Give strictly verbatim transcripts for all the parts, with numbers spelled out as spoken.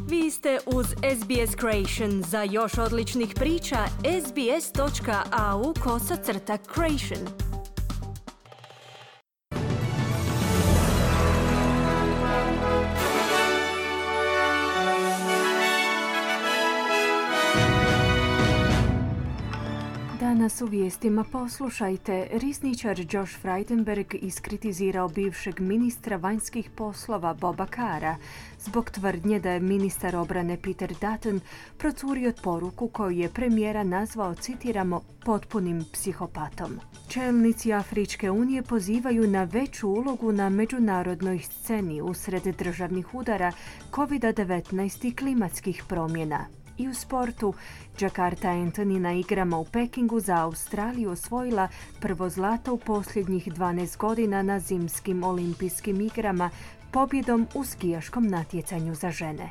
Vi ste uz S B S Creation. Za još odličnih priča, sbs.au kosacrta creation. Danas u vijestima poslušajte. Rizničar Josh Frydenberg iskritizirao bivšeg ministra vanjskih poslova Boba Carra zbog tvrdnje da je ministar obrane Peter Dutton procurio poruku koju je premijera nazvao, citiramo, potpunim psihopatom. Čelnici Afričke unije pozivaju na veću ulogu na međunarodnoj sceni usred državnih udara, kovid devetnaest i klimatskih promjena. I u sportu, Jakarta Anthony na igrama u Pekingu za Australiju osvojila prvo zlato u posljednjih dvanaest godina na zimskim olimpijskim igrama pobjedom u skijaškom natjecanju za žene.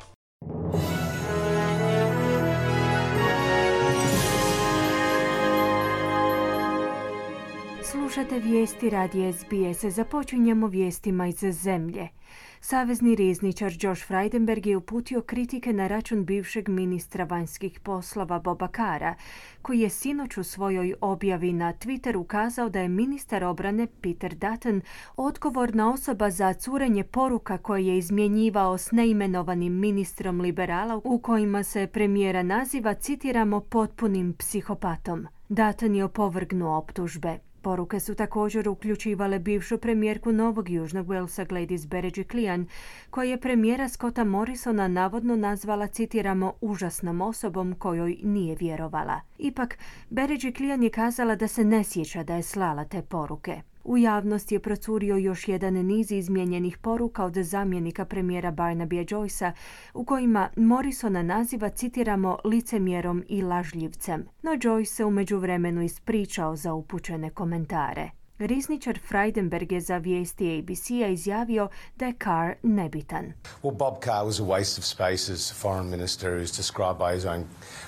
Slušate vijesti radija S B S. Započinjemo vijestima iz zemlje. Savezni rizničar Josh Frydenberg je uputio kritike na račun bivšeg ministra vanjskih poslova Boba Carra, koji je sinoć u svojoj objavi na Twitteru kazao da je ministar obrane Peter Dutton odgovorna osoba za curenje poruka koje je izmjenjivao s neimenovanim ministrom liberala u kojima se premijera naziva, citiramo, potpunim psihopatom. Dutton je opovrgnuo optužbe. Poruke su također uključivale bivšu premijerku Novog Južnog Walesa Gladys Berejiklian, koja je premijera Scotta Morrisona navodno nazvala, citiramo, užasnom osobom kojoj nije vjerovala. Ipak, Berejiklian je kazala da se ne sjeća da je slala te poruke. U javnosti je procurio još jedan niz izmijenjenih poruka od zamjenika premijera Barnabya Joycea u kojima Morrisona naziva, citiramo, licemjerom i lažljivcem. No Joyce se u međuvremenu ispričao za upućene komentare. Rizničar Frydenberg je za vijesti A B C-a izjavio da je Carr nebitan. Well, Bob Carr was a waste of space as foreign minister, who's described by his own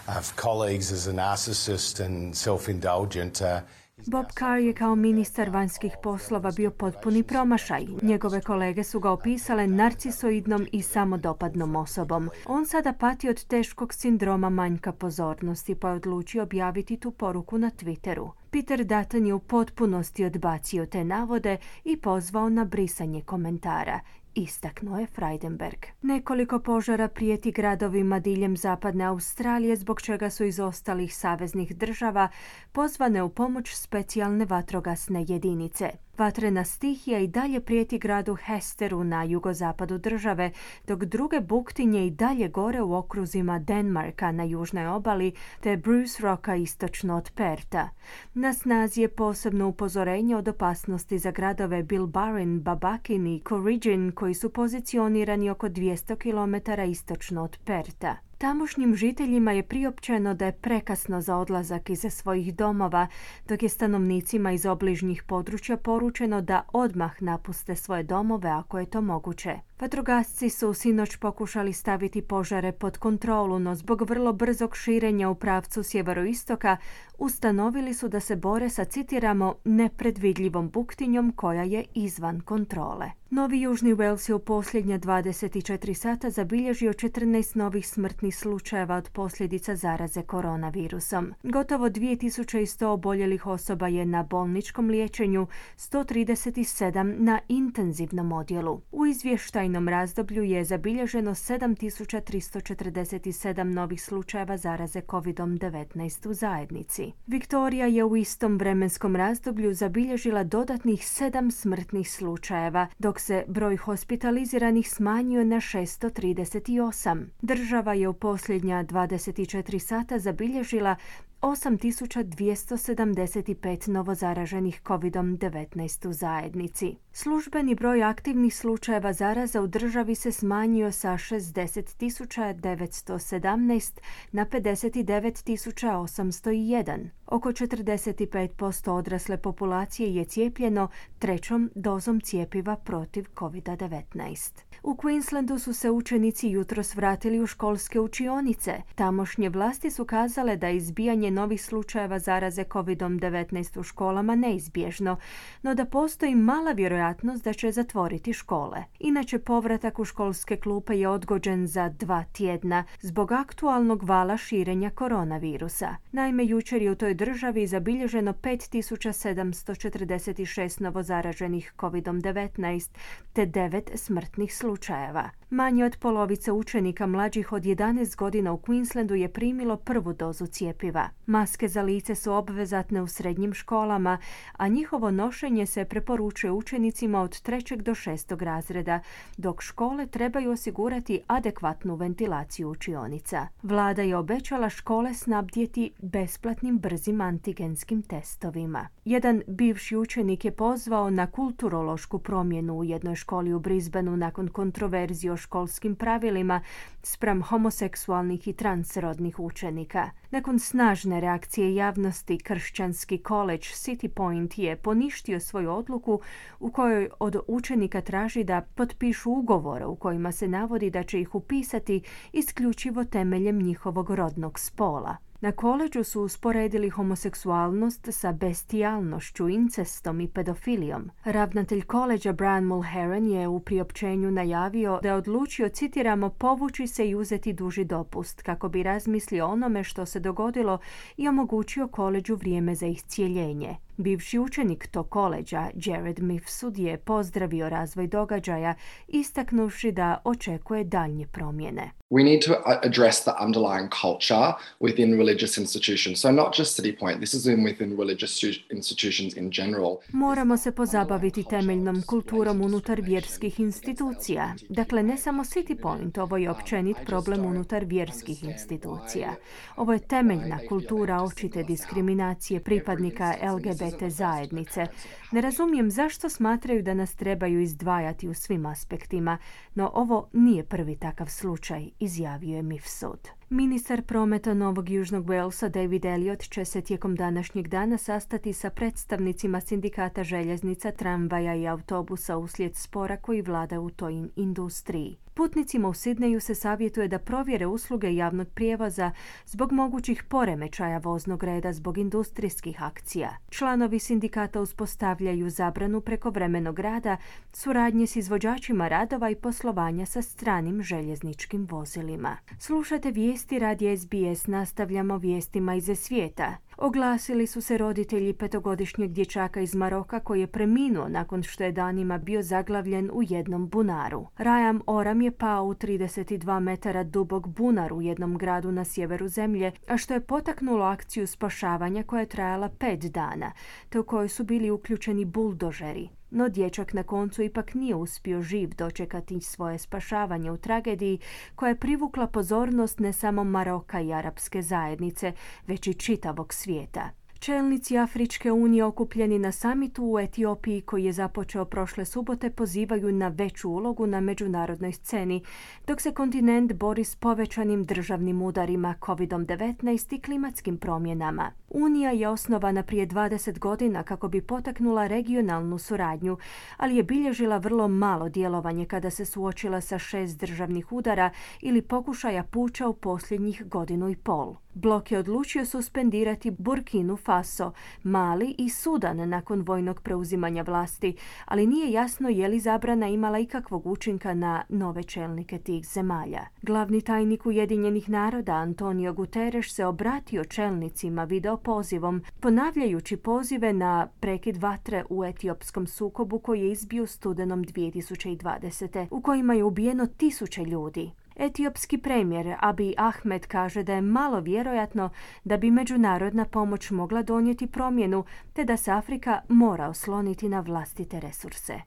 uh, colleagues as a narcissist and self-indulgent. Uh, Bob Carr je kao ministar vanjskih poslova bio potpuni promašaj. Njegove kolege su ga opisale narcisoidnom i samodopadnom osobom. On sada pati od teškog sindroma manjka pozornosti, pa je odlučio objaviti tu poruku na Twitteru. Peter Dutton je u potpunosti odbacio te navode i pozvao na brisanje komentara, istaknuo je Frydenberg. Nekoliko požara prijeti gradovima diljem zapadne Australije, zbog čega su iz ostalih saveznih država pozvane u pomoć specijalne vatrogasne jedinice. Vatrena stihija i dalje prijeti gradu Hesteru na jugozapadu države, dok druge buktinje i dalje gore u okruzima Denmarka na južnoj obali te Bruce Rocka istočno od Perta. Na snazi je posebno upozorenje od opasnosti za gradove Bilbarin, Babakin i Corrigin, koji su pozicionirani oko dvjesto kilometara istočno od Perta. Tamošnjim žiteljima je priopćeno da je prekasno za odlazak iz svojih domova, dok je stanovnicima iz obližnjih područja poručeno da odmah napuste svoje domove ako je to moguće. Vatrogasci su sinoć pokušali staviti požare pod kontrolu, no zbog vrlo brzog širenja u pravcu sjeveroistoka ustanovili su da se bore sa, citiramo, nepredvidljivom buktinjom koja je izvan kontrole. Novi Južni Wales je u posljednja dvadeset četiri sata zabilježio četrnaest novih smrtnih slučajeva od posljedica zaraze koronavirusom. Gotovo dvije tisuće sto oboljelih osoba je na bolničkom liječenju, sto trideset sedam na intenzivnom odjelu. U izvještajnom razdoblju je zabilježeno sedam tisuća tristo četrdeset sedam novih slučajeva zaraze kovid devetnaest u zajednici. Viktorija je u istom vremenskom razdoblju zabilježila dodatnih sedam smrtnih slučajeva, dok se broj hospitaliziranih smanjio na šesto trideset osam. Država je u posljednja dvadeset četiri sata zabilježila osam tisuća dvjesto sedamdeset pet novozaraženih kovid devetnaest u zajednici. Službeni broj aktivnih slučajeva zaraza u državi se smanjio sa šezdeset tisuća devetsto sedamnaest na pedeset devet tisuća osamsto jedan. Oko četrdeset pet posto odrasle populacije je cijepljeno trećom dozom cjepiva protiv kovid devetnaest. U Queenslandu su se učenici jutros vratili u školske učionice. Tamošnje vlasti su kazale da je izbijanje novih slučajeva zaraze kovid devetnaest u školama neizbježno, no da postoji mala vjerojatnost da će zatvoriti škole. Inače, povratak u školske klupe je odgođen za dva tjedna zbog aktualnog vala širenja koronavirusa. Naime, jučer je u toj državi zabilježeno pet tisuća sedamsto četrdeset šest novozaraženih kovid devetnaest te devet smrtnih slučajeva. Manje od polovice učenika mlađih od jedanaest godina u Queenslandu je primilo prvu dozu cjepiva. Maske za lice su obvezatne u srednjim školama, a njihovo nošenje se preporučuje učenicima od trećeg do šestog razreda, dok škole trebaju osigurati adekvatnu ventilaciju učionica. Vlada je obećala škole snabdjeti besplatnim brzim antigenskim testovima. Jedan bivši učenik je pozvao na kulturološku promjenu u jednoj školi u Brisbaneu nakon kontroverzije o školskim pravilima spram homoseksualnih i transrodnih učenika. Nakon snažne reakcije javnosti, kršćanski koledž City Point je poništio svoju odluku u kojoj od učenika traži da potpišu ugovore u kojima se navodi da će ih upisati isključivo temeljem njihovog rodnog spola. Na koledžu su usporedili homoseksualnost sa bestijalnošću, incestom i pedofilijom. Ravnatelj koledža Brian Mulheron je u priopćenju najavio da je odlučio, citiramo, povući se i uzeti duži dopust kako bi razmislio o onome što se dogodilo i omogućio koledžu vrijeme za iscijeljenje. Bivši učenik tog koledža, Jared Mifsud, je pozdravio razvoj događaja, istaknuvši da očekuje daljnje promjene. We need to address the underlying culture within religious institutions. So not just City Point, this is in within religious institutions in general. Moramo se pozabaviti temeljnom kulturom unutar vjerskih institucija. Dakle, ne samo City Point, ovo je općenit problem unutar vjerskih institucija. Ovo je temeljna kultura očite diskriminacije pripadnika L G B T zajednice. Ne razumijem zašto smatraju da nas trebaju izdvajati u svim aspektima, no ovo nije prvi takav slučaj, izjavio je Mifsud. Ministar prometa Novog Južnog Walesa David Elliott će se tijekom današnjeg dana sastati sa predstavnicima sindikata željeznica, tramvaja i autobusa uslijed spora koji vlada u toj industriji. Putnicima u Sidneju se savjetuje da provjere usluge javnog prijevoza zbog mogućih poremećaja voznog reda zbog industrijskih akcija. Članovi sindikata uspostavljaju zabranu prekovremenog rada, suradnje s izvođačima radova i poslovanja sa stranim željezničkim vozilima. Slušate vijesti radija S B S, nastavljamo vijestima iz svijeta. Oglasili su se roditelji petogodišnjeg dječaka iz Maroka koji je preminuo nakon što je danima bio zaglavljen u jednom bunaru. Rajam Oram je pao u trideset dva metara dubok bunar u jednom gradu na sjeveru zemlje, a što je potaknulo akciju spašavanja koja je trajala pet dana, te u kojoj su bili uključeni buldožeri. No dječak na koncu ipak nije uspio živ dočekati svoje spašavanje u tragediji koja je privukla pozornost ne samo Maroka i arapske zajednice, već i čitavog svijeta. Čelnici Afričke unije okupljeni na samitu u Etiopiji koji je započeo prošle subote pozivaju na veću ulogu na međunarodnoj sceni, dok se kontinent bori s povećanim državnim udarima kovid devetnaest i klimatskim promjenama. Unija je osnovana prije dvadeset godina kako bi potaknula regionalnu suradnju, ali je bilježila vrlo malo djelovanje kada se suočila sa šest državnih udara ili pokušaja puča u posljednjih godinu i pol. Blok je odlučio suspendirati Burkinu Faso, Mali i Sudan nakon vojnog preuzimanja vlasti, ali nije jasno je li zabrana imala ikakvog učinka na nove čelnike tih zemalja. Glavni tajnik Ujedinjenih naroda Antonio Guterres se obratio čelnicima video pozivom, ponavljajući pozive na prekid vatre u etiopskom sukobu koji je izbio studenom dvije tisuće dvadesete. u kojima je ubijeno tisuće ljudi. Etiopski premijer Abiy Ahmed kaže da je malo vjerojatno da bi međunarodna pomoć mogla donijeti promjenu, te da se Afrika mora osloniti na vlastite resurse.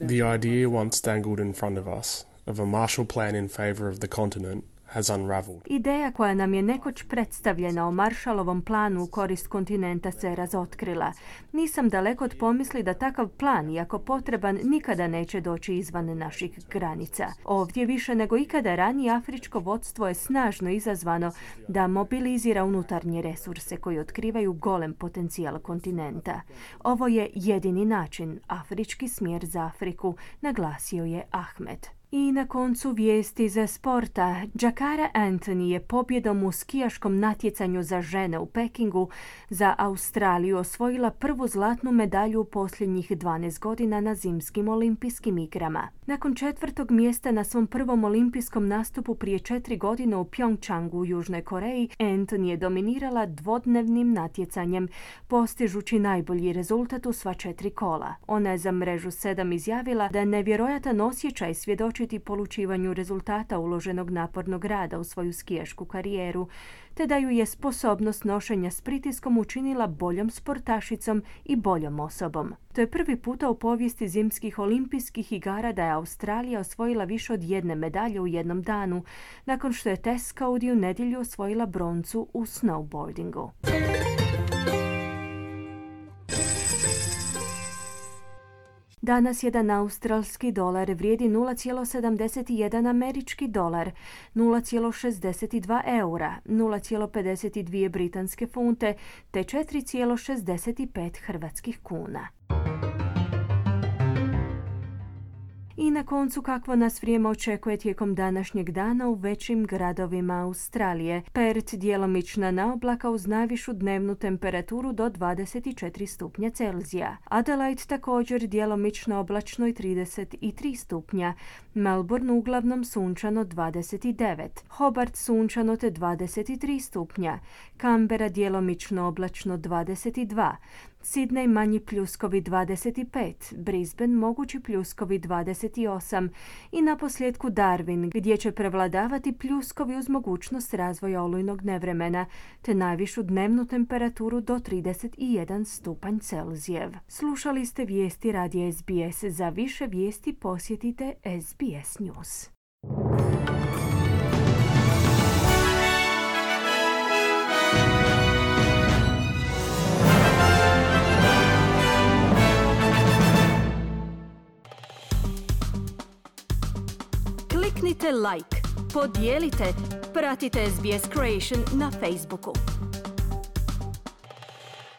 The idea once dangled in front of us of a Marshall Plan in favor of the continent has unraveled. Ideja koja nam je nekoć predstavljena o Maršalovom planu u korist kontinenta se razotkrila. Nisam daleko od pomisli da takav plan, iako potreban, nikada neće doći izvan naših granica. Ovdje više nego ikada ranije afričko vodstvo je snažno izazvano da mobilizira unutarnje resurse koji otkrivaju golem potencijal kontinenta. Ovo je jedini način, afrički smjer za Afriku, naglasio je Ahmed. I na koncu vijesti za sporta. Jakara Anthony je pobjedom u skijaškom natjecanju za žene u Pekingu za Australiju osvojila prvu zlatnu medalju u posljednjih dvanaest godina na zimskim olimpijskim igrama. Nakon četvrtog mjesta na svom prvom olimpijskom nastupu prije četiri godine u Pyeongchangu u Južnoj Koreji, Anthony je dominirala dvodnevnim natjecanjem, postižući najbolji rezultat u sva četiri kola. Ona je za mrežu sedam izjavila da je nevjerojatan osjećaj svjedočiti polučivanju rezultata uloženog napornog rada u svoju skijašku karijeru, te da ju je sposobnost nošenja s pritiskom učinila boljom sportašicom i boljom osobom. To je prvi puta u povijesti zimskih olimpijskih igara da je Australija osvojila više od jedne medalje u jednom danu, nakon što je Tess Coady u nedjelju osvojila broncu u snowboardingu. Danas jedan australski dolar vrijedi nula zarez sedamdeset jedan američki dolar, nula zarez šezdeset dva eura, nula zarez pedeset dvije britanske funte te četiri zarez šezdeset pet hrvatskih kuna. I na koncu kakvo nas vrijeme očekuje tijekom današnjeg dana u većim gradovima Australije. Perth djelomična naoblaka uz najvišu dnevnu temperaturu do dvadeset četiri stupnja Celzija. Adelaide također djelomično oblačno i trideset tri stupnja. Melbourne uglavnom sunčano dvadeset devet. Hobart sunčano te dvadeset tri stupnja. Canberra djelomično oblačno dvadeset dva. Sydney manji pljuskovi dvadeset pet, Brisbane mogući pljuskovi dvadeset osam i naposljetku Darwin gdje će prevladavati pljuskovi uz mogućnost razvoja olujnog nevremena te najvišu dnevnu temperaturu do trideset jedan stupanj Celzijev. Slušali ste vijesti radija S B S. Za više vijesti posjetite S B S News. Kliknite like, podijelite, pratite S B S Creation na Facebooku.